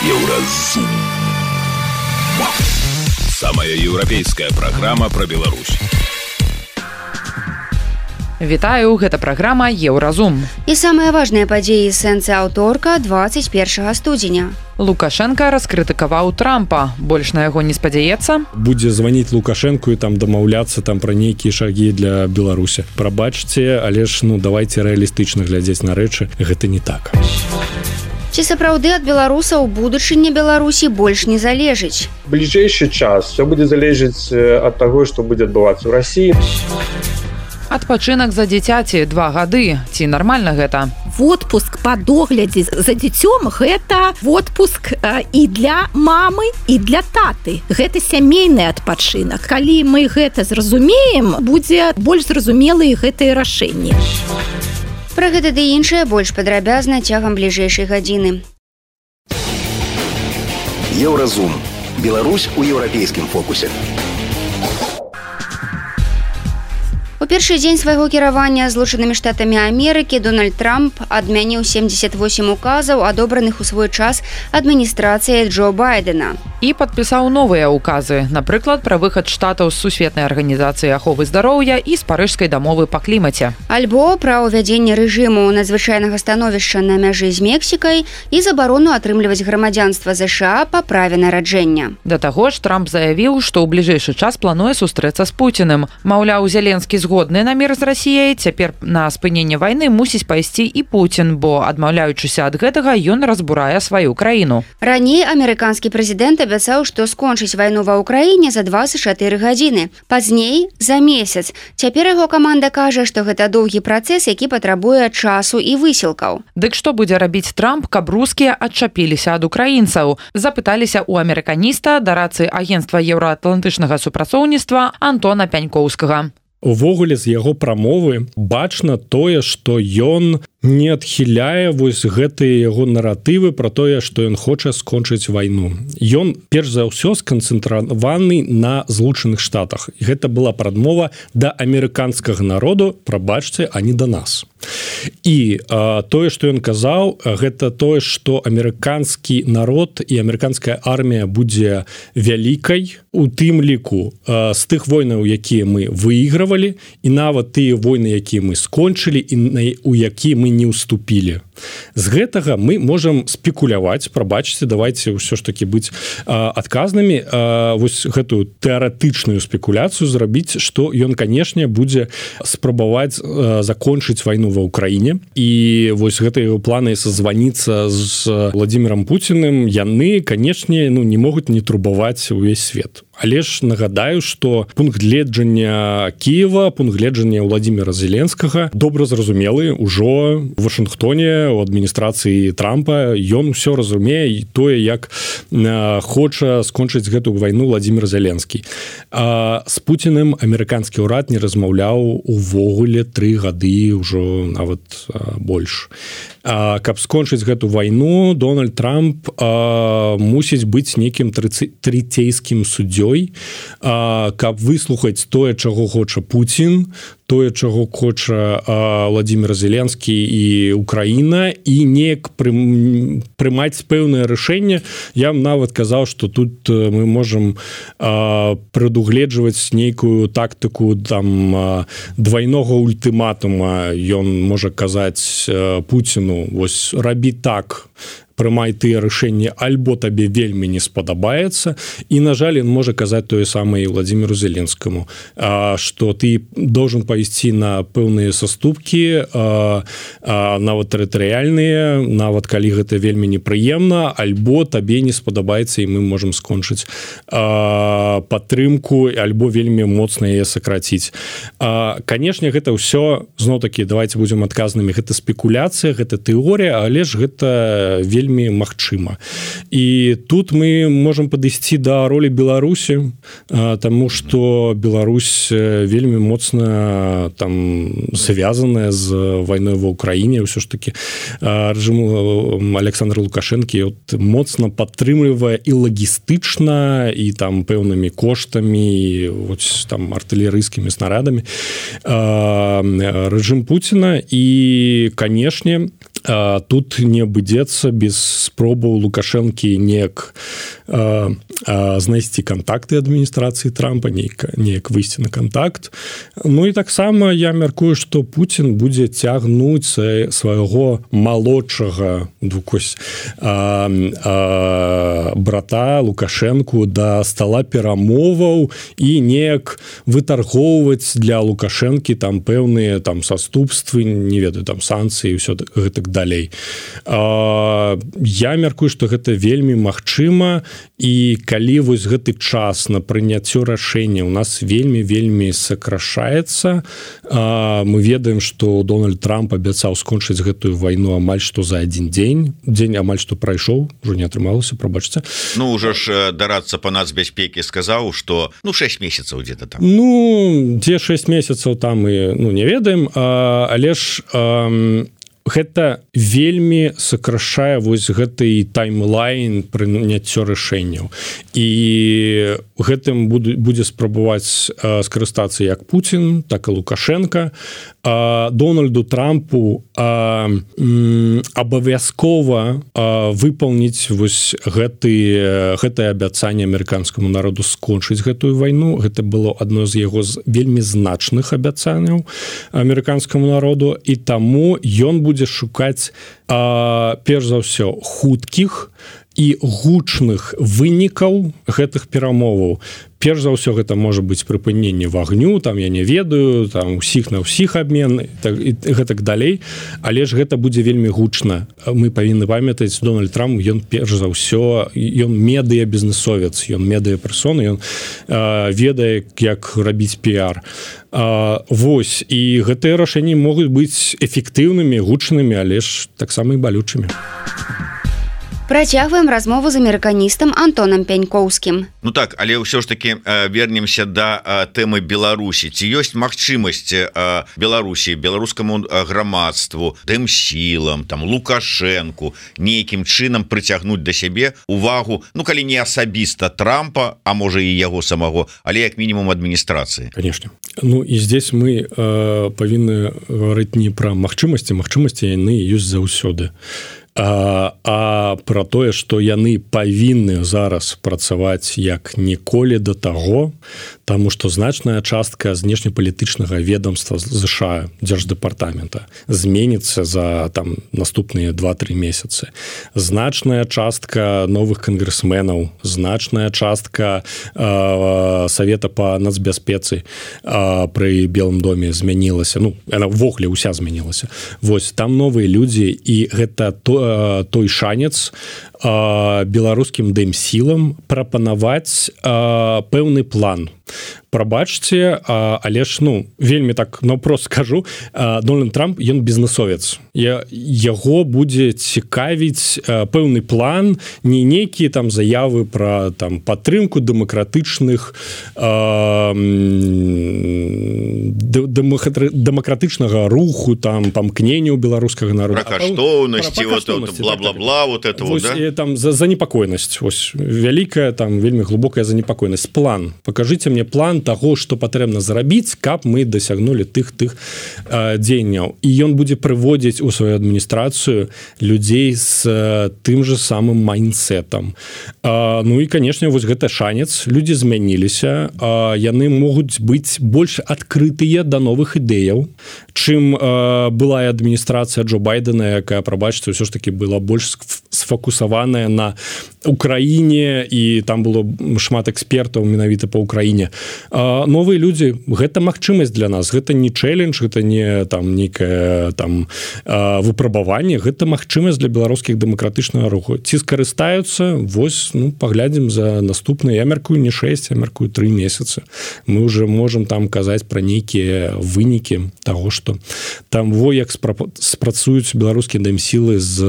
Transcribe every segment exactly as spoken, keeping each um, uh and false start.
Еўразум. Самая еўрапейская праграма пра Беларусь. Вітаю, гэта праграма «Еўразум». І самыя важныя падзеі сэнсы аўторка двадцать первого студзеня. Лукашенко раскрытыкаваў Трампа. Больш на яго не спадзяецца. Будзе званіць Лукашенку і там дамаўляцца там пра нейкія шагі для Беларусі. Прабачце, але ж ну давайте рэалістычна глядзець на рэчы. Гэта не так. Ці сапраўды ад беларусаў будучыня Беларусі больш не залежыць? Бліжэйшы час все будзе залежыць ад таго, што будзе адбывацца ў Расіі. Адпачынак за дзіцяці два гады. Ці нармальна гэта? Водпуск па доглядзе за дзіцём – гэта водпуск і для мамы, і для таты. Гэта сямейны адпачынак. Калі мы гэта зразумеем, будзе больш зразумелыя гэтыя рашэнні. Пра гэта ды іншае больш падрабязна цягам бліжэйшай гадзіны. Еўразум. Беларусь у еўрапейскім фокусе. У першы дзень свайго кіравання Злучанымі Штатамі Амерыкі Дональд Трамп адмяніў семьдесят восемь указаў, адобраных у свой час адміністрацыяй Джо Байдена. І падпісаў новыя указы, напрыклад, пра выхад штатаў з Сусветнай арганізацыі аховы здароўя і з Парыжскай дамовы па клімаце. Альбо пра ўвядзенне рэжыму надзвычайнага становішча на мяжы з Мексікай і забарону атрымліваць грамадзянства ЗША па праве нараджэння. Да таго ж Трамп заявіў, што ў бліжэйшы час плануе сустрэцца з Пуціным. Маўляў, Зеленскі згодны Годны на мір з Расіяй, цяпер на спыненне вайны мусіць пайсці і Пуцін, бо, адмаўляючыся ад гэтага, ён разбурае сваю краіну. Раней амерыканскі прэзідэнт абяцаў, што скончыць вайну ва ўкраіне за двадцать чатыры гадзіны. Пазней за месяц. Цяпер яго каманда кажа, што гэта доўгі працэс, які патрабуе часу і высілкаў. Дык што будзе рабіць Трамп, каб рускія адчапіліся ад украінцаў? Запыталіся ў амерыканіста да рацыі агенцтва еўраатлантычнага супрацоўніцтва Антона Пянькоўскага. Увогуле з яго прамовы бачна тое, што ён не адхіляе вось гэтыя яго наратывы пра тое, што ён хоча скончыць вайну. Ён перш за ўсё сканцэнтраваны на Злучаных Штатах. І гэта была прадмова да амерыканскага народу, прабачце, а не да нас. І а, тое, што ён казаў, гэта тое, што амерыканскі народ і амерыканская армія будзе вялікай, у тым ліку а, з тых войнаў, якія мы выйгравалі, і нават тыя войны, якія мы скончылі і на, у якія мы не уступілі. З гэтага мы можам спекуляваць, прабачце, давайте ўсё ж таки быць а, адказнымі, а, вось гэтую тэарэтычную спекуляцыю зрабіць, што ён, канешне, будзе спрабаваць а, закончыць вайну ва ўкраіне. І вось гэтыя планы созваніцца з Владимиром Путиным, яны, канешне, ну, не могуць не турбаваць увесь свет. Але ж нагадаю, што пункт гледжання Киева, пункт гледжання Владимира Зеленскага добра зразумелы ўжо ў Вашынгтоне, у адміністрацыі Трампа. Ён усё разумее тое, як хоча скончыць гэтую вайну Владимир Зеленскі. А з Путіным амерыканскі ўрад не размаўляў увогуле тры гады, ўжо нават больш. А, каб скончыць гэту вайну, Дональд Трамп а, мусіць быць нейкім трыцейскім суддзёй, а, каб выслухаць тое, чаго хоча Пуцін, тое, чаго хоча а, Владимир Зеленскі і Украіна, і неяк прым, прымаць пэўнае рашэнне. Я нават казаў, што тут мы можам а, прадугледжваць нейкую тактыку там а, двайнога ультыматума. Ён можа казаць а, Пуціну, вось рабі так, прымай тыя рашэнні, альбо табе вельмі не спадабаецца. І, на жаль, ён можа казаць тое самае і Владимиру Зеленскаму, а, што ты должен пайсці на пэўныя саступкі, а, а, нават тэрытарыяльныя, нават калі гэта вельмі непрыемна, альбо табе не спадабаецца, і мы можам скончыць а, падтрымку, альбо вельмі моцна яе сакраціць. А, канешне, гэта ўсё, зноў-такі, давайте будзем адказнымі, гэта спекуляцыя, гэта тэорія, але ж гэта вельмі вельмі магчыма. І тут мы можам падысці да ролі Беларусі, таму што Беларусь вельмі моцна там звязаная з вайной ва ўкраіне. Ўсё ж таки рэжым Александра Лукашэнкі моцна падтрымлівае і лагістычна, і там пэўнымі коштамі, вось там артылерыйскімі снарадамі рэжым Пуціна. І, канешне, тут не абыдзецца без спробаў Лукашэнкі неяк знайсці кантакты адміністрацыі Трампа, неяк выйсці на кантакт. Ну і таксама я мяркую, што Пуцін будзе цягнуць свайго малодшага двукось брата Лукашэнку да стала перамоваў і неяк вытаргоўваць для Лукашэнкі там пэўныя там саступствы, не ведаю, там санкцыі і ўсё гэтак далей. Я мяркую, што гэта вельмі магчыма, і калі вось гэты час на прыняццё рашэння у нас вельмі-вельмі сокрашаецца, мы ведаем, што Дональд Трамп абяцаў скончыць гэтую вайну амаль што за адзін дзень, дзень амаль што прайшоў, ужо не атрымалася, прабачце. Ну, ужо ж дарацца па нацбяспекі сказаў, што ну шэсць месяцаў дзе-то там. Ну, дзе шэсць месяцаў там мы ну, не ведаем, але ж гэта вельмі сокрашае вось гэты таймлайн прыняццё рашэнняў. І гэтым будзе спрабаваць скарыстацца як Пуцін, так і Лукашенко. Дональду Трампу абавязкова выпаўніць вось гэты, гэтае абяцанне амерыканскаму народу скончыць гэтую вайну. Гэта было адно з яго вельмі значных абяцанняў амерыканскаму народу, і таму ён будзе будзе шукаць а, перш за ўсё хуткіх і гучных вынікаў гэтых перамоваў. Перш за ўсё гэта можа быць прыпыненне вагню, там я не ведаю, там усіх на ўсіх абмен так, і гэтак далей, але ж гэта будзе вельмі гучна. Мы павінны памятаць, Дональд Трамп, ён перш за ўсё, ён медыябізнесовец, ён медыяперсона, ён а, ведае, як рабіць піар. А, вось, і гэтыя рашэнні могуць быць эфектыўнымі, гучнымі, але ж таксама і балючымі. Працягваем размову з амерыканістам Антонам Пянькоўскім. Ну так, але ўсё ж таки вернемся да тэмы Беларусі. Ці ёсць магчымасць Беларусі, беларускаму грамадству, тым сілам, там Лукашэнку нейкім чынам прыцягнуць да сябе увагу, ну калі не асабіста Трампа, а можа і яго самого, але як мінімум адміністрацыі. Конечно. Ну і здесь мы э, павінны гаварыць не пра магчымасці, магчымасці яны ёсць заўсёды. А, а пра тое, што яны павінны зараз працаваць як ніколі да таго, таму што значная частка знешнепалітычнага ведомства ЗША, Дзярждэпартамента, зменіцца за там наступныя два-тры месяцы. Значная частка новых кангрэсменаў, значная частка э, Савета па нацбяспецы э, пры Белым доме змянілася. Ну, яна ўвогуле ўся змянілася. Вось, там новыя людзі, і гэта то, той шанец беларускім дэмсілам прапанаваць пэўны план. Прабачце, але ж ну вельмі так наўпрост скажу, Дональд Трамп ён бізнесовец. Я, яго будзе цікавіць пэўны план, не нейкія там заявы пра там падтрымку дэмакратычных дэмакратычнага руху, там памкненняў беларускага народа. Пра каштоўнасці, вот бла-бла-бла, вот это вот, да? Там за занепакоенасць, ось вялікая там вельмі глыбокая занепакоенасць. План. Пакажыце мне план таго, што патрэбна зрабіць, каб мы дасягнулі тых тых э, дзеянняў. І ён будзе прыводзіць у сваю адміністрацыю людзей з э, тым же самым майндсетам. Э, ну і, канешне, вось гэта шанец. Людзі змяніліся. Э, яны могуць быць больш адкрытыя да новых ідэяў, чым э, была і адміністрацыя Джо Байдена, якая, прабачце, ўсё ж таки была больш сфокусаваная на Украіне, і там было шмат экспертаў менавіта па Украіне. А, новыя людзі, гэта магчымасць для нас, гэта не чэлендж, гэта не там нейкае там а, выпрабаванне, гэта магчымасць для беларускіх дэмакратычнага руху. Ці скарыстаюцца, вось, ну, паглядзім за наступныя, я мяркую не шэсць, я мяркую тры месяцы. Мы ўжо можам там казаць пра нейкія вынікі таго, што там во як спрацуюць беларускія дэмсілы з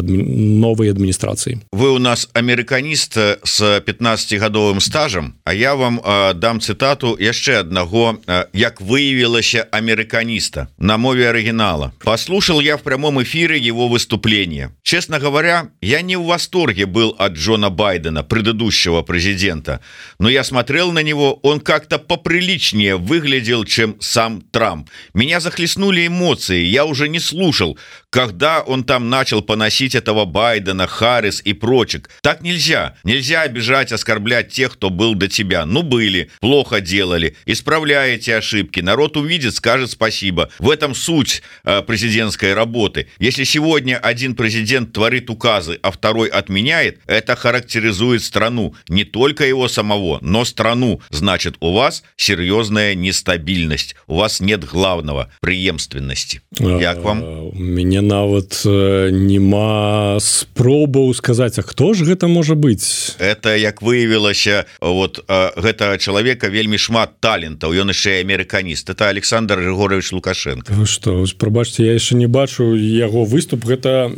адмі... новай адміністрацыі. Вы у нас вас амерыканіст с пятнаццацігадовым стажам, а я вам э, дам цытату яшчэ аднаго, э, як выявілася амерыканіста на мове оригинала. Послушал я в прямом эфире его выступление. Честно говоря, я не в восторге был от Джона Байдена, предыдущего президента, но я смотрел на него, он как-то поприличнее выглядел, чем сам Трамп. Меня захлестнули эмоции, я уже не слушал, когда он там начал поносить этого Байдена, Харрис и прочих. Так нельзя. Нельзя обижать, оскорблять тех, кто был до тебя. Ну, были, плохо делали. Исправляете ошибки. Народ увидит, скажет спасибо. В этом суть э, президентской работы. Если сегодня один президент творит указы, а второй отменяет, это характеризует страну. Не только его самого, но страну. Значит, у вас серьезная нестабильность. У вас нет главного – преемственности. Як вам? У меня нават нема спробаў сказаць, а хто ж гэта можа быць? Это, як выявілася, вот гэта чалавека вельмі шмат талентаў, ён яшчэ амерыканіст. Это Александр Григорьевич Лукашенко. Вы што, прабачце, я яшчэ не бачу яго выступ. Гэта,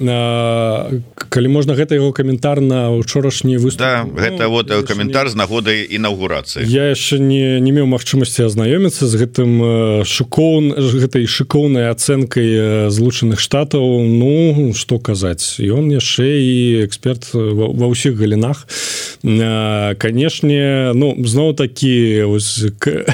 калі можна, гэта яго каментар на учорашні выступ. Да, гэта ну, вот каментар не... з нагодай інаўгурацыі. Я яшчэ не, не меў магчымасці азнаёміцца з гэтым шыкоўн, гэтай шыкоўнай ацэнкай Злучаных Штатаў. Ну, што казаць, ён яшчэ і эксперт ва, ва ўсіх галінах. Канешне, ну, зноў такі ось, к,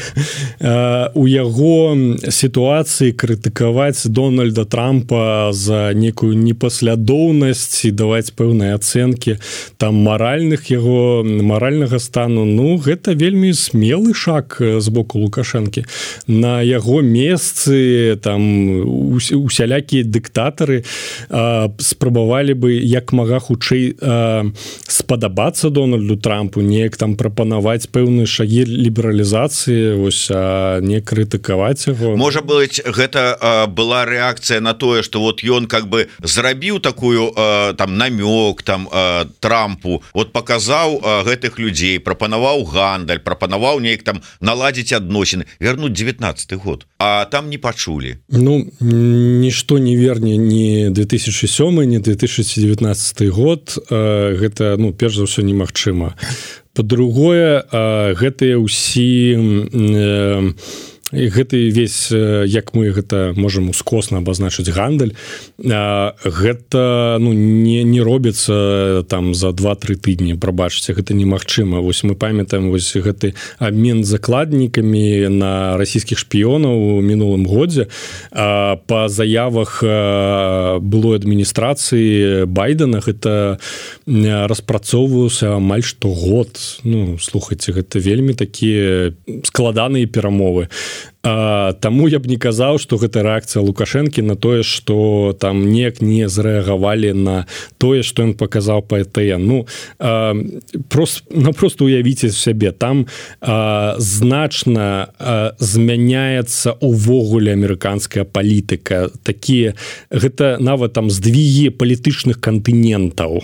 а, у яго сітуацыі крытыкаваць Дональда Трампа за некую непаслядоўнасць і даваць пэўныя ацэнкі там маральных яго маральнага стану, ну, гэта вельмі смелы шаг з боку Лукашэнкі. На яго месцы там усялякія дыктатары а, спрабавалі бы як мага хутчэй а, спадабацца Дональду Трампу, неяк там прапанаваць пэўныя шагі лібералізацыі, ось, а не крытыкаваць яго. Можа быць, гэта а, была рэакцыя на тое, што вот ён как бы зрабіў такую а, там намёк там а, Трампу, вот паказаў а, гэтых людзей, прапанаваў гандаль, прапанаваў неяк там наладзіць адносіны, вярнуць девятнаццаты год, а там не пачулі. Ну, нішто не верне ні две тысячи сёмы, ні две тысячи девятнаццаты год, а, гэта, ну, перш за ўсё немагчыма. Па-другое, гэтыя ўсі э, гэты весь, як мы гэта можам ускосна абазначыць гандаль, гэта ну, не, не робіцца там за два-тры тыдні, прабачце, гэта немагчыма. Вось мы памятаем вось гэты абмен закладнікамі на расійскіх шпіёнаў у мінулым годзе. Па заявах былой адміністрацыі Байдена гэта распрацоўваўся амаль штогод. Ну, слухайце, гэта вельмі такія складаныя перамовы. А, таму я б не казаў, што гэта рэакцыя Лукашэнкі на тое, што там неяк не зрэагавалі на тое, што ён паказаў па Э Тэ Эн. Ну, а, прост, напрост уявіце сябе, там а, значна а, змяняецца увогуле амерыканская палітыка. Такія, гэта нават там здвігі палітычных кантынентаў.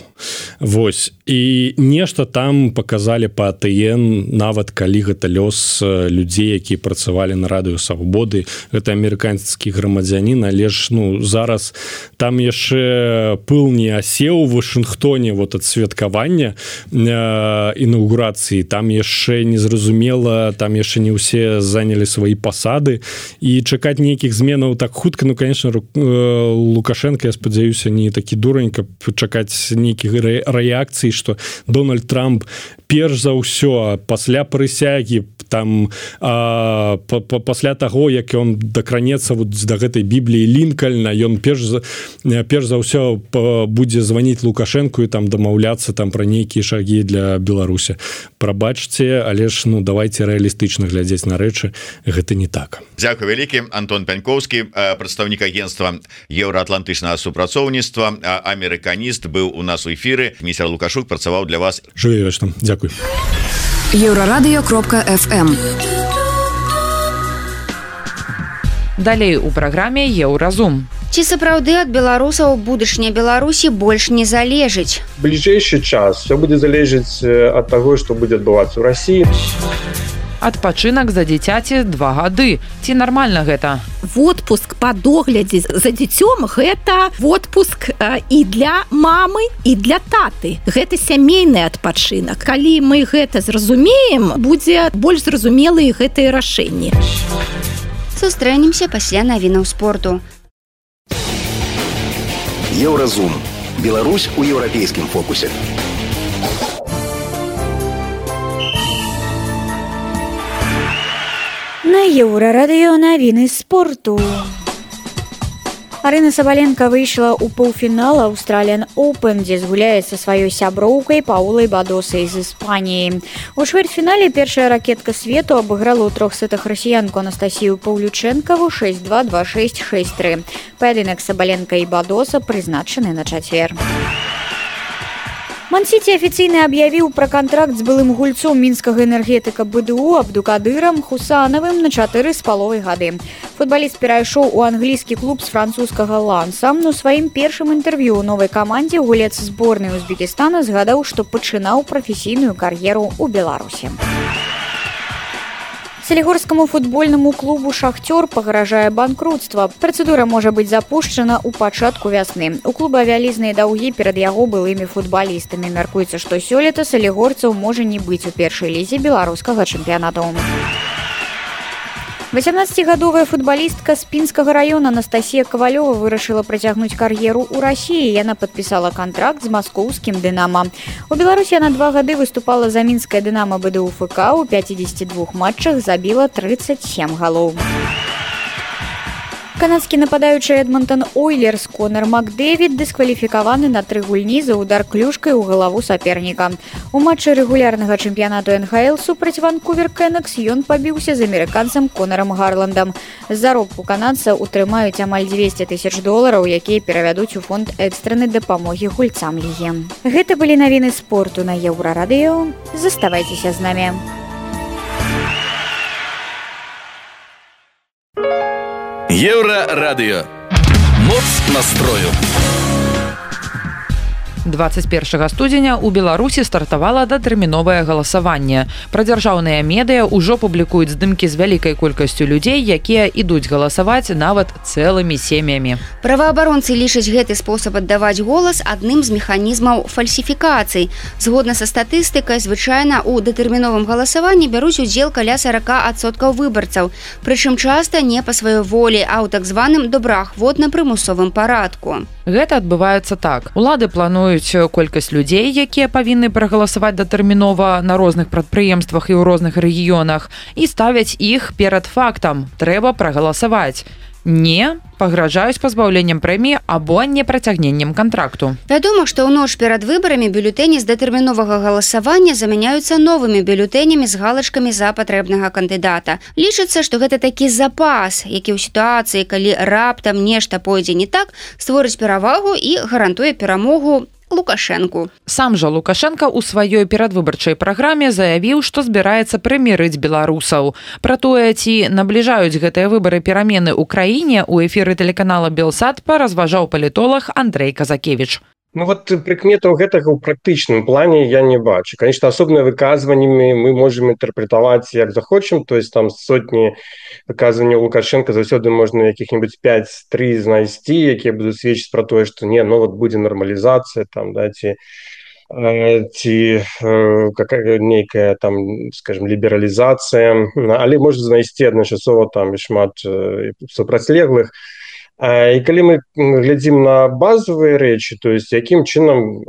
Вось. І нешта там паказалі па Э Тэ Эн, нават калі гэта лёс людзей, якія працавалі на радыё Свабоды, гэта амерыканскі грамадзянін, але ж ну зараз там яшчэ пыл не асеў у Вашынгтоне вот ад святкавання э, інаўгурацыі, там яшчэ незразумела, там яшчэ не ўсе занялі свае пасады і чакаць нейкіх зменаў так хутка, ну конечно Лукашенко, я спадзяюся, не такі дурань, каб чакаць нейкіх рэакцый, што Дональд Трамп перш за ўсё пасля прысягі там а, па, па, пасля таго, як ён дакранецца вот да гэтай Бібліі Лінкальна, ён перш за, перш за ўсё будзе званіць Лукашэнку і там дамаўляцца там пра нейкія шагі для Беларусі. Прабачце, але ж ну давайте рэалістычна глядзець на рэчы, гэта не так. Дзякуй вялікі. Антон Пяньковскі, прадстаўнік агенцтва еўраатлантычнага супрацоўніцтва, амерыканіст, быў у нас у эфіры. Міцер Лукашук працаваў для вас. Жыве вечна. Дзякуй. еўрарадыё кропка эф эм. Далей у праграме Еўразум. Ці сапраўды ад беларусаў будучыня Беларусі больш не залежыць? Бліжэйшы час все будзе залежыць ад таго, што будзе адбывацца ў Расіі. Адпачынак за дзіцяці два гады. Ці нармальна гэта? Отпуск па доглядзе за дзіцём гэта отпуск і для мамы, і для таты. Гэта сямейны адпачынак. Калі мы гэта зразумеем, будзе больш зразумелыя гэтыя рашэнні. Сустрэнемся пасля навінаў спорту. Еўразум. Беларусь у еўрапейскім фокусе. На Еўрарадыё навіны спорту. Арына Сабаленко выйшла ў паўфінал Australian Open, дзе згуляе са сваёй сяброўкай Паулай Бадосай з Іспаніі. У чвэрцьфінале першая ракетка свету абыграла ў трох сетах расіянку Анастасію Паўлючэнкаву шэсць два, два шэсць, шэсць тры. Паядынак Сабаленко і Бадоса прызначаны на чацвер. Ман-Сіці афіцыйна аб'явіў пра кантракт з былым гульцом мінскага энергетыка БДУ Абдукадырам Хусанавым на чатыры з паловай гады. Футбаліст перайшоў у англійскі клуб з французскага Ланса. У сваім першым інтэрв'ю ў новай камандзе гулец зборнай Узбекістана згадаў, што пачынаў прафесійную кар'еру ў Беларусі. Салігорскаму футбольнаму клубу «Шахтёр» пагражае банкрутства. Працэдура можа быць запушчана ў пачатку вясны. У клуба вялізныя даўгі перад яго былымі футбалістамі. Мяркуецца, што сёлета салігорцаў можа не быць у першай лізе беларускага чэмпіянату. васямнаццацігадовая футбалістка з Пінскага раёна Анастасія Кавалёва вырашыла працягнуць кар'еру ў Расіі. Яна падпісала кантракт з маскоўскім «Дынама». У Беларусі яна два гады выступала за мінскае «Дынама» БДУ ФК. У пяцідзесяці двух матчах забіла трыццаць сем галоў. Канадскі нападаючы Эдмонтон Ойлерс Конор Макдэвід дыскваліфікаваны на тры гульні за удар клюшкай у галаву саперніка. У матчы рэгулярнага чэмпіянату эн ха эл супраць Ванкувер Кэнакс ён пабіўся з амерыканцам Конорам Гарландам. З заробку канадца утрымаюць амаль дзвесце тысяч долараў, якія перавядуць у фонд экстрэнай дапамогі гульцам лігі. Гэта былі навіны спорту на Еўрарадыё. Заставайцеся з намі. Еўрарадыё. Моц настрою. дваццаць першага студзеня ў Беларусі стартавала датэрміновае галасаванне. Пра дзяржаўныя медыя ўжо публікуюць здымкі з вялікай колькасцю людзей, якія ідуць галасаваць нават цэлымі сем'ямі. Праваабаронцы лічаць гэты спосаб аддаваць голас адным з механізмаў фальсіфікацый. Згодна са статыстыкай, звычайна ў датэрміновым галасаванні бяруць удзел каля сорок адсоткаў выбарцаў, прычым часта не па сваёй волі, а ў так званым добраахвотна-прымусовым парадку. Гэта адбываецца так. Улады плануюць колькасць людзей, якія павінны прагаласаваць датэрмінова на розных прадпрыемствах і ў розных рэгіёнах, і ставяць іх перад фактам. Трэба прагаласаваць. Не, пагражаюць пазбаўленнем прэміі або непрацягненнем кантракту. Вядома, што ў ноч перад выбарамі бюлетэні з датэрміновага галасавання замяняюцца новымі бюлетэнямі з галачкамі за патрэбнага кандыдата. Лічыцца, што гэта такі запас, які ў сітуацыі, калі раптам нешта пойдзе не так, створыць перавагу і гарантуе перамогу Лукашэнку. Сам жа Лукашенко ў сваёй перадвыбарчай праграме заявіў, што збіраецца прымірыць беларусаў. Пра тое, ці набліжаюць гэтыя выбары перамены ў краіне, у эфіры тэлеканала Белсат паразважаў палітолог Андрэй Казакевіч. Ну вот прыкметаў гэтага ў практычным плане я не бачу. Конечно, асобныя выказваннямі мы можем інтэрпрэтаваць як захочам, то есть там сотні выказванняў Лукашенко заўсёды можна якіх-небудзь пяць-тры знайсці, якія будуць сведчыць пра тое, што не, ну вот будзе нармалізацыя там, да, ці ці какая нейкая там, скажем, лібералізацыя, але можна знайсці адначасова там і шмат супрацьлеглых. І калі мы глядзім на базовыя рэчы, то есть якім чынам,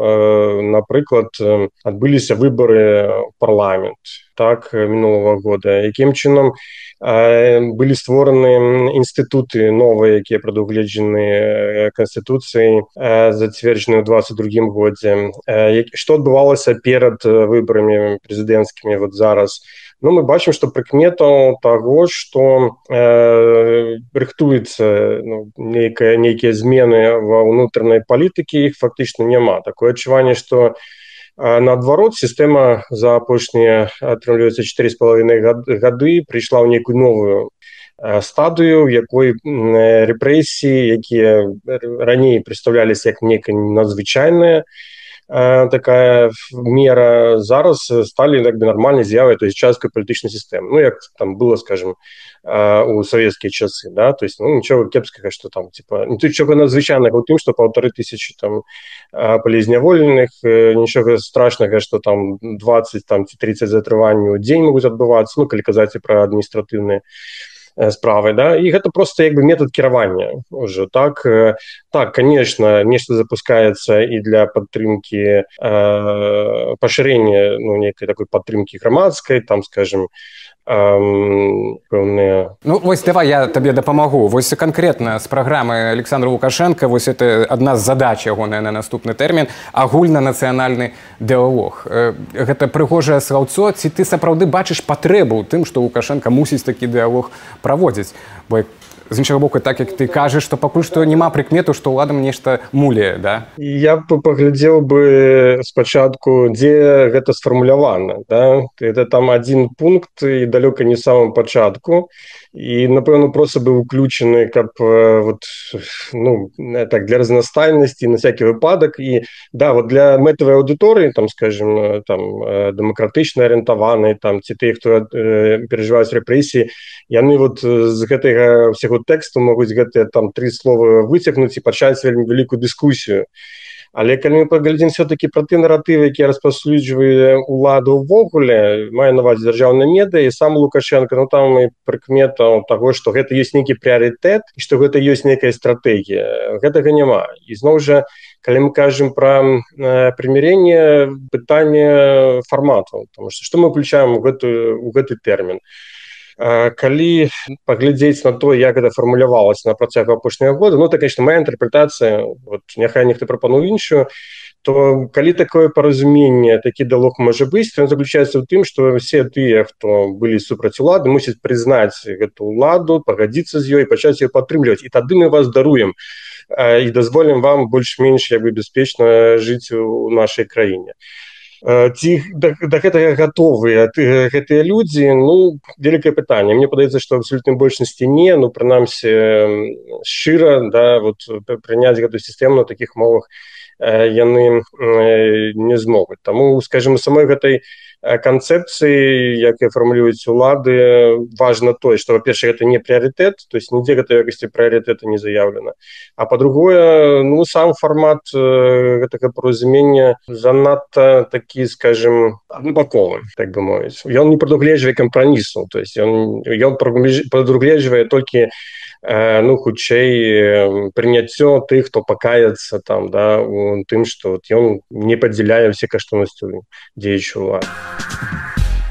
напрыклад, адбыліся выбары ў парламент, так, мінулага года, якім чынам былі створаны інстытуты новыя, якія прадугледжаны Канстытуцыяй, зацверджаны ў двадцать другім годзе. Што адбывалася перад выбарамі прэзідэнцкімі вот зараз? Ну, мы бачым, што прыкметаў таго, што э, рыхтуецца ну, нейкая, нейкія змены ва ўнутранай палітыкі, іх фактычна няма. Такое адчуванне, што э, наадварот, сістэма за апошнія, атрымліваецца, чатыры з паловінай гады прыйшла ў нейкую новую э, стадыю, якой э, рэпрэсіі, якія раней прадстаўляліся як нейкае надзвычайнае, такая мера, зараз стали як бы нормальной з'явой, то есть часткой политической системы. Ну, як там было, скажем, у советские часы, да, то есть, ну, ничего кепского, что там, типа, ничего надзвычайного у тем, что полторы тысячи там полезняволеных, ничего страшного, что там двадцать, там, тридцать затрываний в день могут отбываться, ну, коли казать про административные справы, да, і гэта просто як бы метод кіравання уже, так, так, конечно, нешта запускаецца і для падтрымки э, пашырення, ну, некай такой падтрымки грамадскай, там, скажем, пэўныя... Ну, вось давай я табе дапамагу. Вось канкрэтна з праграмы Александра Лукашенко, вось это адна з задач ягоная на наступны тэрмін, агульнанацыянальны дыалог. Гэта прыгожае слаўцо, ці ты сапраўды бачыш патрэбу ў тым, што Лукашенко мусіць такі дыалог праводзіць? Бо з іншага боку, так як ты кажаш, што пакуль што няма прыкмету, што ўладам нешта муляе, да? Я б паглядзеў бы спачатку, дзе гэта сфармулявана, да? Это там адзін пункт і далёка не самым пачатку, і, напэўна, проста быў уключаны, каб вот, ну, так, для разнастайнасці, на всякий выпадак, і, да, вот для мэтавай аўдыторыі, там, скажем, там, дэмакратычна арыентаваныя, там, ці тыя, хто э, перажываюць рэпрэсіі, яны вот з гэтага ўсяго тэксту могуць гэтыя там тры словы выцягнуць і пачаць вельмі вялікую дыскусію. Але калі мы паглядзім все-таки пра ты наратывы, якія распаўсюджвае ўладу ўвогуле, мае на ўвазе дзяржаўныя медыа, і сам Лукашенко, ну там і прыкмета таго, што гэта ёсць нейкі прыярытэт і што гэта ёсць нейкая стратэгія. Гэтага няма. І зноў жа, калі мы кажам пра э, прымірэнне, пытанне фарматаў, тому што што мы ўключаем у гэты, у гэты тэрмін. Калі паглядзець на то, як гэта фармулявалася на працягу апошняга года, ну, так, конечно, моя інтэрпрэтацыя, вот, няхай нехто прапануе іншую, то калі такое паразуменне, такі дыалог можа быць, то ён заключаецца ў тым, што все тыя, хто былі супраць улады, мусяць прызнаць гэту ўладу, пагадзіцца з ёй, пачаць яе падтрымліваць, і тады мы вас даруем і дазволім вам больш-менш як бы бяспечна жыць у нашай краіне. Ці да, да гэтага гатовыя гэтыя людзі, ну, вялікае пытанне. Мне падаецца, што абсалютнай большасці не, ну, прынамсі, шчыра, да, вот, прыняць гэтую сістэму на такіх мовах яны не змогуць. Таму, скажем, самой гэтай канцэпцыі, якія фармулююць улады, важна тое, што, па-першае, гэта не прыярытэт, то есть нідзе гэтай якасці прыярытэта не заяўлена. А па-другое, ну, сам фармат гэтага паразумення занадта такі, скажем, аднабаковы, так бы мовіць. Ён не прадугледжвае кампрамісу, то есть ён, ён прадугледжвае толькі, ну, хутчэй прыняццё тых, хто пакаецца там, да, у тым, што вот ён не падзяляе ўсе каштоўнасці дзеючай улады.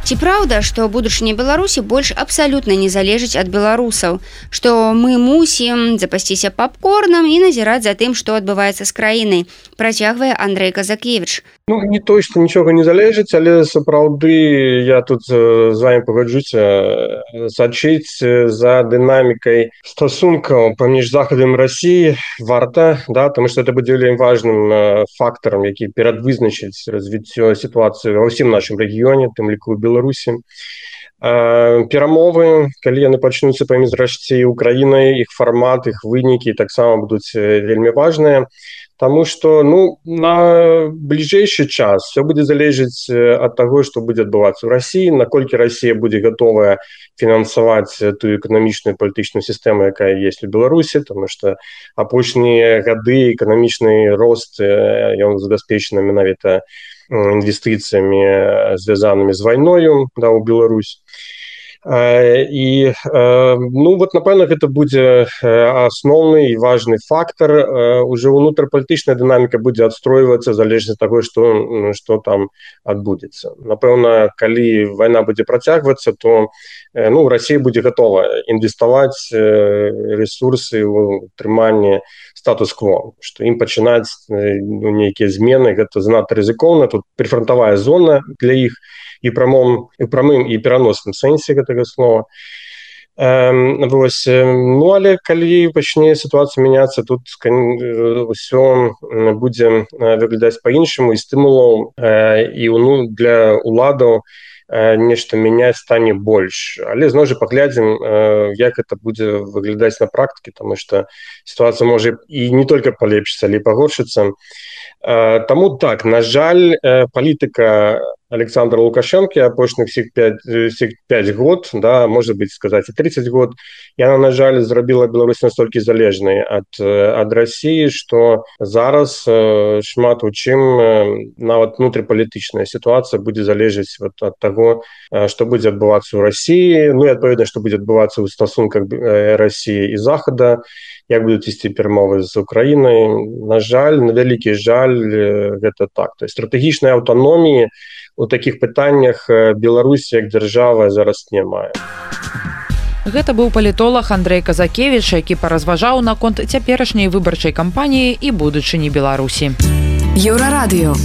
Ці праўда, што будучыня Беларусі больш абсалютна не залежыць ад беларусаў, што мы мусім запасціся папкорнам і назіраць за тым, што адбываецца з краінай, працягвае Андрэй Казакевіч. Ну, не то, што нічога не залежыць, але сапраўды я тут з вами пагаджуся, сачыць за дынамікай стасункаў паміж Захадам і Расіяй варта, да, тому што это будзе вельмі важным фактарам, які перадвызначыць развіццё сітуацыі ва ўсім нашым рэгіёне, тым ліку ў Беларусі. Перамовы, калі яны пачнуцца паміж Расіяй і Украінай, іх фармат, іх вынікі таксама будуць вельмі важныя. Таму што, ну, на бліжэйшы час все будзе залежыць ад таго, што будзе адбывацца ў Расіі, наколькі Расія будзе гатовая фінансаваць тую эканамічную палітычную сістэму, якая ёсць у Беларусі, таму што апошнія гады эканамічны рост, ён забяспечаны менавіта інвестыцыямі, звязанымі з вайною, да, ў Беларусь. І, ну, вот, напэўна, гэта будзе асноўны і важны фактар. Уже ўнутрапалітычная дынаміка будзе адстройвацца залежна ад таго, што, што там адбудзецца. Напэўна, калі вайна будзе працягвацца, то, ну, Расія будзе гатова інвеставаць рэсурсы ў утрыманне статус-кво, што ім пачынаць, ну, нейкія змены, гэта занадта рызыкоўна, тут прыфрантавая зона для іх, і прамым, і прамым і пераносным сэнсе гэтага слова. Эм, вось, ну, але калі пачне сітуацыя мяняцца, тут ўсё будзе выглядаць па-іншаму, і стымулаў э, і, ну, для уладаў нешта мяняць стане больш, але зноў жа паглядзім, як это будзе выглядаць на практыке, таму што сітуацыя можа і не только палепшыцца, але і пагоршыцца. Таму так, на жаль, палітыка Александра Лукашенко апошніх всіх пяць год, да, можа быць сказаць і тридцать год, яна, на жаль, зрабіла Беларусь настолькі залежнай ад, ад России, што зараз шмат у чым нават внутрипалітычная сітуацыя будзе залежаць вот ад таго, што будзе адбывацца ў России, ну і адпаведна, што будзе адбывацца ў стасунках России і Захада, як будуць ісці перамовы з Украінай. На жаль, на вялікі жаль, гэта так. То есть стратэгічнай аўтаноміі у такіх пытаннях Беларусь як дзяржава зараз не мае. Гэта быў палітолог Андрей Казакевич, які паразважаў наконт цяперашняй выбарчай кампаніі і будучыні Беларусі. Еўрарадыё.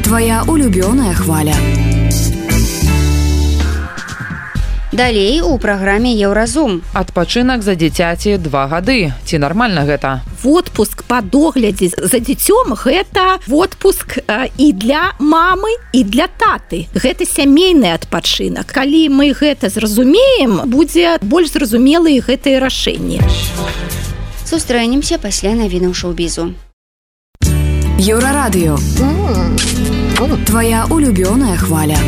Твоя улюбёная хваля. Далей у праграме Еўразум. Адпачынак за дзіцяці два гады. Ці нармальна гэта? Отпуск па доглядзе за дзіцём – гэта отпуск і для мамы, і для таты. Гэта сямейны адпачынак. Калі мы гэта зразумеем, будзе больш зразумелыя гэтыя рашэнні. Сустрэнемся пасля навінаў шоу-бізу. Еўрарадыё. Твоя улюбёная хваля.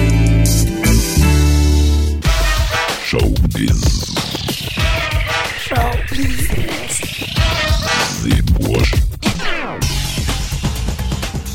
Шоу-біз.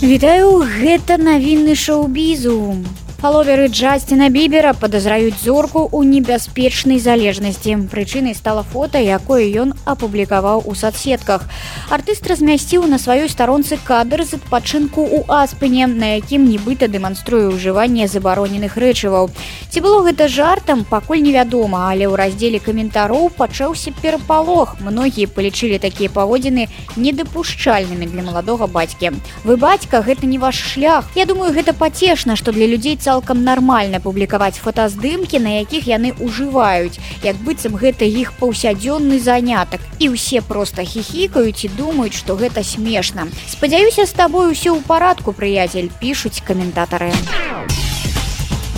Вітаю, гэта навіны шоу-бізу. Фаловеры Джастина Бібера падазраюць зорку ў небяспечнай залежнасці. Прычынай стала фота, якое ён апублікаваў у соцсетках. Артыст размясціў на сваёй старонцы кадр з адпачынку ў Аспене, на якім нібыта дэманструе ўжыванне забароненых рэчываў. Ці было гэта жартам, пакуль невядома, але ў раздзеле каментароў пачаўся перапалох. Многія палічылі такія паводзіны недапушчальнымі для маладога бацькі. Вы, бацька, гэта не ваш шлях. Я думаю, гэта пацешна, што для людзей цалкам нармальна публікаваць фотаздымкі, на якіх яны ўжываюць, як быццам гэта іх паўсядзённы занятак. І ўсе проста хіхікаюць і думаюць, што гэта смешна. Спадзяюся, з табой усё ў парадку, прыяцель, пішуць каментатары.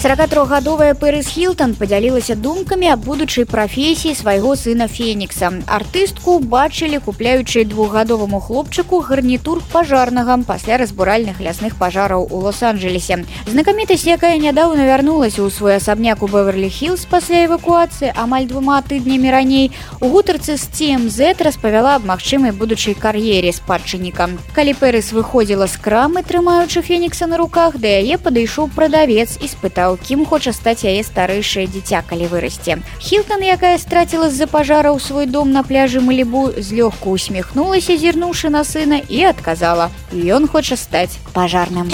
сорокатрохгадовая Пэрис Хілтон падзялілася думкамі аб будучай прафесіі свайго сына Фенікса. Артыстку бачылі, купляючы двухгадоваму хлопчыку гарнітур пажарнага пасля разбуральных лясных пажараў у Лос-Анджелесе. Знакамітасць, якая нядаўна вярнулася ў свой асабняк у Беверлі-Хілз пасля эвакуацыі амаль двума тыднямі раней, у гутарцы з Ти Эм Зет распавяла аб магчымай будучай кар'ере спадчынніка. Калі Пэрис выходзіла з крамы, трымаючы Фенікса на руках, да яе падышоў прадавец і спытаў, кім хоча стаць яе старэйшае дзіця, калі вырасце. Хілтон, якая страціла з-за пажараў свой дом на пляжы Малібу, злёгку усміхнулася, зірнуўшы на сына, і адказала: ён хоча стаць пажарным.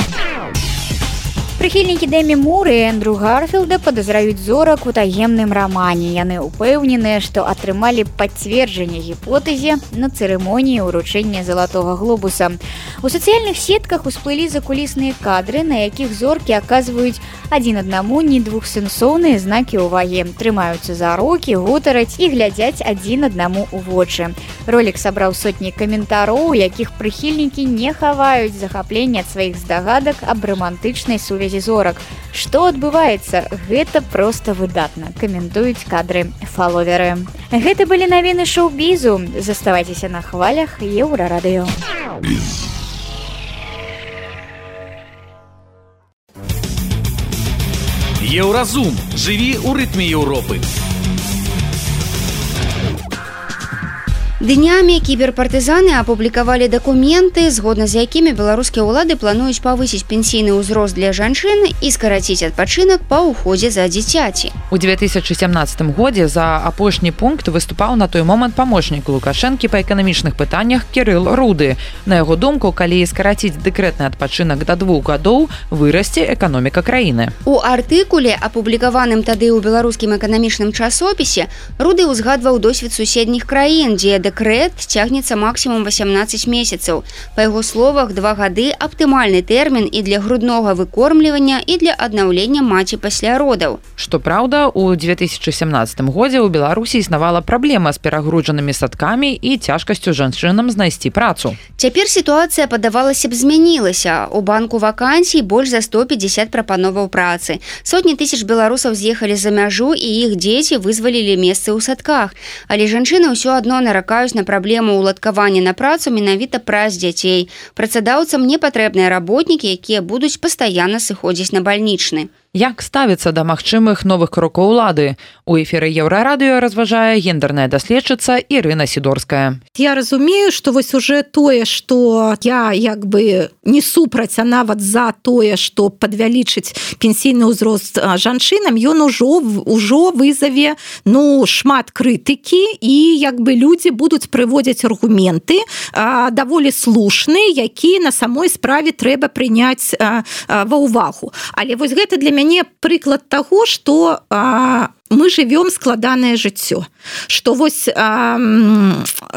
Прыхільнікі Дэмі Мур і Эндрю Гарфілда падазраюць зорак у таемным рамане. Яны ўпэўненыя, што атрымалі пацверджанне гіпотэзе на цырымоніі ўручэння залатога глобуса. У сацыяльных сетках усплылі закулісныя кадры, на якіх зоркі аказваюць адзін аднаму не двухсэнсоўныя знакі ўвагі, трымаюцца за рукі, гутараць і глядзяць адзін аднаму ў вочы. Ролік сабраў сотні каментароў, у якіх прыхільнікі не хаваюць захаплення ад сваіх здагадак аб рамантычнай сувязі зорак. Што адбываецца? Гэта проста выдатна, каментуюць кадры фаловеры. Гэта былі навіны шоу-бізу. Заставайцеся на хвалях Еўрарадыё. Еўразум. Жыві ў рытме Еўропы. Днямі кіберпартызаны апублікавалі дакументы, згодна з якімі беларускія ўлады плануюць павысіць пенсійны ўзрост для жанчын і скараціць адпачынак па ўходзе за дзіцяці. У две тысячи сямнадцатым годзе за апошні пункт выступаў на той момант памочнік Лукашэнкі па эканамічных пытаннях Кірыл Руды. На яго думку, калі скараціць дэкрэтны адпачынак да двух гадоў, вырасце эканоміка краіны. У артыкуле, апублікаваным тады ў беларускім эканамічным часопісе, Руды ўзгадваў досвед суседніх краін, дзе дэкрэт цягнецца максімум восемнадцать месяцаў. Па яго словах, два гады аптымальны тэрмін і для груднога выкормлівання, і для аднаўлення маці пасля родаў. Што праўда, у две тысячи семнадцатым годзе ў Беларусі існавала праблема з перагружанымі садкамі і цяжкасцю жанчынам знайсці працу. Цяпер сітуацыя, падавалася б, змянілася. У банку вакансій больш за сто пятьдесят прапановаў працы. Сотні тысяч беларусаў з'ехалі за мяжу, і іх дзеці вызвалілі месцы ў садках. Але жанчыны ўсё адно наракаюць на праблему ўладкавання на працу менавіта праз дзяцей. Працадаўцам не патрэбныя работнікі, якія будуць пастаянна сыходзіць на бальнічны. Як ставіцца да магчымых новых крокаў улады? У эфіры Еўрарадыё разважае гендерная даследчыца Ірына Сідорская. Я разумею, што вось уже тое, што я як бы не супраць, а нават за тое, што падвялічыць пенсійны ўзрост жанчынам, ён ужо ўжо вызаве ну шмат крытыкі, і як бы людзі будуць прыводзіць аргументы а, даволі слушныя, які на самой справе трэба прыняць а, а, ва ўвагу. Але вось гэта для мяне прыклад таго, што а, мы живем складанае жыццё, што вось а,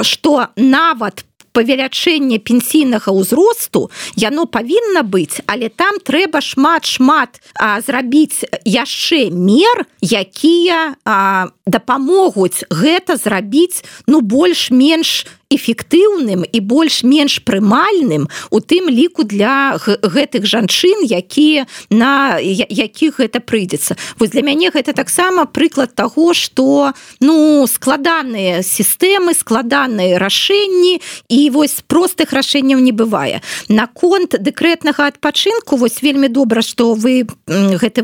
што нават павелічэнне пенсійнага ўзросту яно павінна быць, але там трэба шмат-шмат зрабіць яшчэ мер, якія а, дапамогуць гэта зрабіць ну больш-менш эфектыўным і больш-менш прымальным у тым ліку для гэтых жанчын, якія на якіх гэта прыйдзецца. Вось для мяне гэта таксама прыклад таго, што ну складаныя сістэмы, складаныя рашэнні, і вось простых рашэнняў не бывае. Наконт дэкрэтнага адпачынку вось вельмі добра, што вы гэты,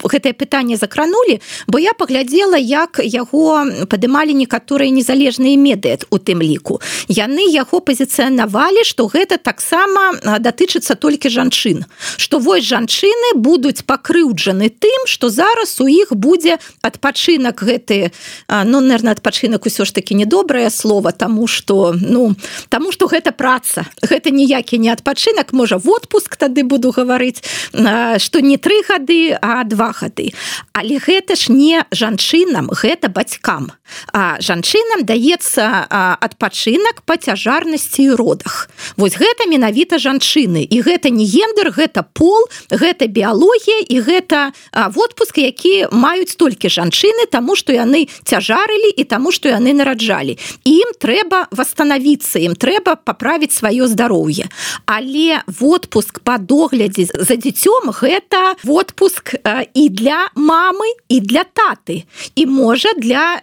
гэтае пытанне закранулі, бо я паглядзела, як яго падымалі некаторыя незалежныя медыа у тым ліку. Яны яго пазіцыянавалі, што гэта таксама датычыцца толькі жанчын, што вось жанчыны будуць пакрыўджаны тым, што зараз у іх будзе адпачынак гэты, ну, наверное, адпачынак усё ж такі недобрае слово, таму што ну, таму што гэта праца, гэта ніякі не адпачынак, можа в отпуск тады буду гаварыць, што не тры гады, а два гады. Але гэта ж не жанчынам, гэта бацькам. А жанчынам даецца адпачынак па цяжарнасці і родах. Вось гэта менавіта жанчыны. І гэта не гендер, гэта пол, гэта біялогія, і гэта отпуск, які маюць толькі жанчыны, таму што яны цяжарылі і таму што яны нараджалі. І ім трэба восстанавіцца, ім трэба паправіць сваё здароўе. Але отпуск па доглядзе за дзіцём гэта отпуск і для мамы, і для таты. І можа для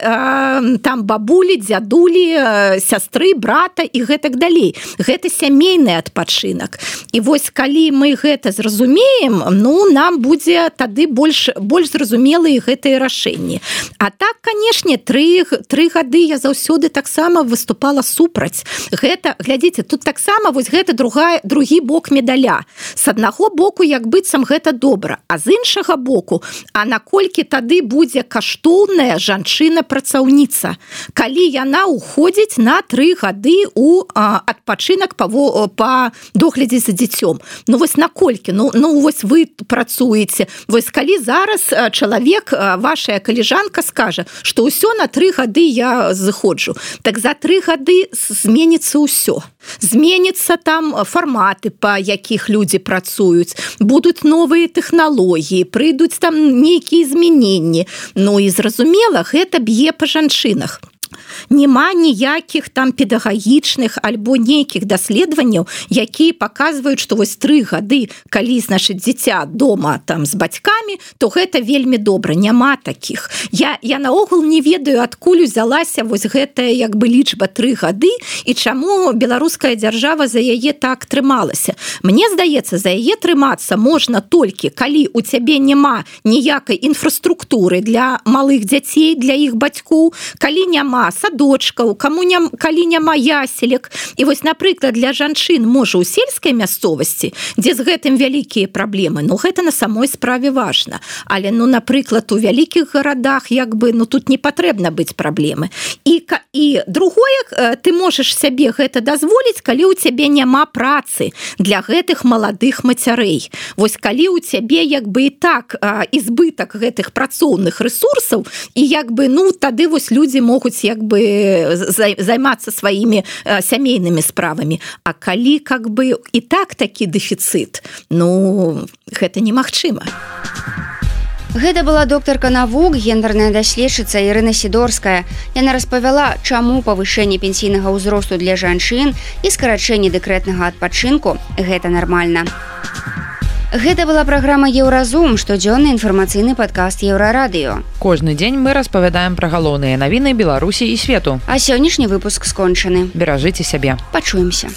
там бабулі, дзядулі, сястры, брата і гэтак далей. Гэта сямейны адпачынак. І вось калі мы гэта зразумеем, ну нам будзе тады больш больш зразумелыя гэтыя рашэнні. А так, канешне, тры гады я заўсёды таксама выступала супраць. Гэта, глядзіце, тут таксама вось гэта другая другі бок медаля. С аднаго боку, як быццам гэта добра, а з іншага боку, а наколькі тады будзе каштоўная жанчына-працаўніца, калі яна уходзіць на тры гады у а, адпачынак па, па доглядзе за дзіцём. Ну вось наколькі? Ну, ну вось вы працуеце. Вось калі зараз чалавек, вашая каліжанка скажа, што ўсё на тры гады я зыходжу, так за тры гады зменіцца ўсё. Зменіцца там фарматы, па якіх людзі працуюць, будуць новыя тэхналогіі, прыйдуць там нейкія змяненні. Ну і зразумела, гэта б'е па жанчынах. Нема ніякіх там педагагічных альбо нейкіх даследаванняў, якія паказваюць, што вось тры гады, калі, значыць, дзіця дома там з бацькамі, то гэта вельмі добра. Няма такіх. Я, я наогул не ведаю, адкуль узялася вось гэтая як бы лічба тры гады і чаму беларуская дзяржава за яе так трымалася. Мне здаецца, за яе трымацца можна толькі, калі у цябе няма ніякай інфраструктуры для малых дзяцей, для іх бацькоў, калі няма садочкаў, каму не, калі няма яселек. І вось, напрыклад, для жанчын можа ў сельскай мясцовасці, дзе з гэтым вялікія праблемы, ну гэта на самой справе важна. Але, ну, напрыклад, у вялікіх гарадах, як бы, ну тут не патрэбна быць праблемы. І, і другое, ты можаш сябе гэта дазволіць, калі ў цябе няма працы для гэтых маладых мацярэй. Вось калі ў цябе, як бы, і так ізбытак гэтых працоўных рэсурсаў, і як бы, ну, тады вось людзі могуць як бы бы займацца сваімі сямейнымі справамі. А калі как бы і так такі дэфіцыт, ну гэта немагчыма. Гэта была доктарка навук, гендерная даследчыца Ірына Сідорская. Яна распавяла, чаму павышэнне пенсійнага ўзросту для жанчын і скарачэнне дэкрэтнага адпачынку гэта нармальна. Гэта была праграма Еўразум, штодзённы інфармацыйны падкаст Еўрарадыё. Кожны дзень мы распавядаем пра галоўныя навіны Беларусі і свету. А сённяшні выпуск скончаны. Беражыце сябе. Пачуемся.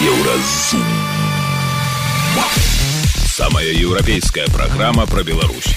Еўразум. Самая европейская программа про Беларусь.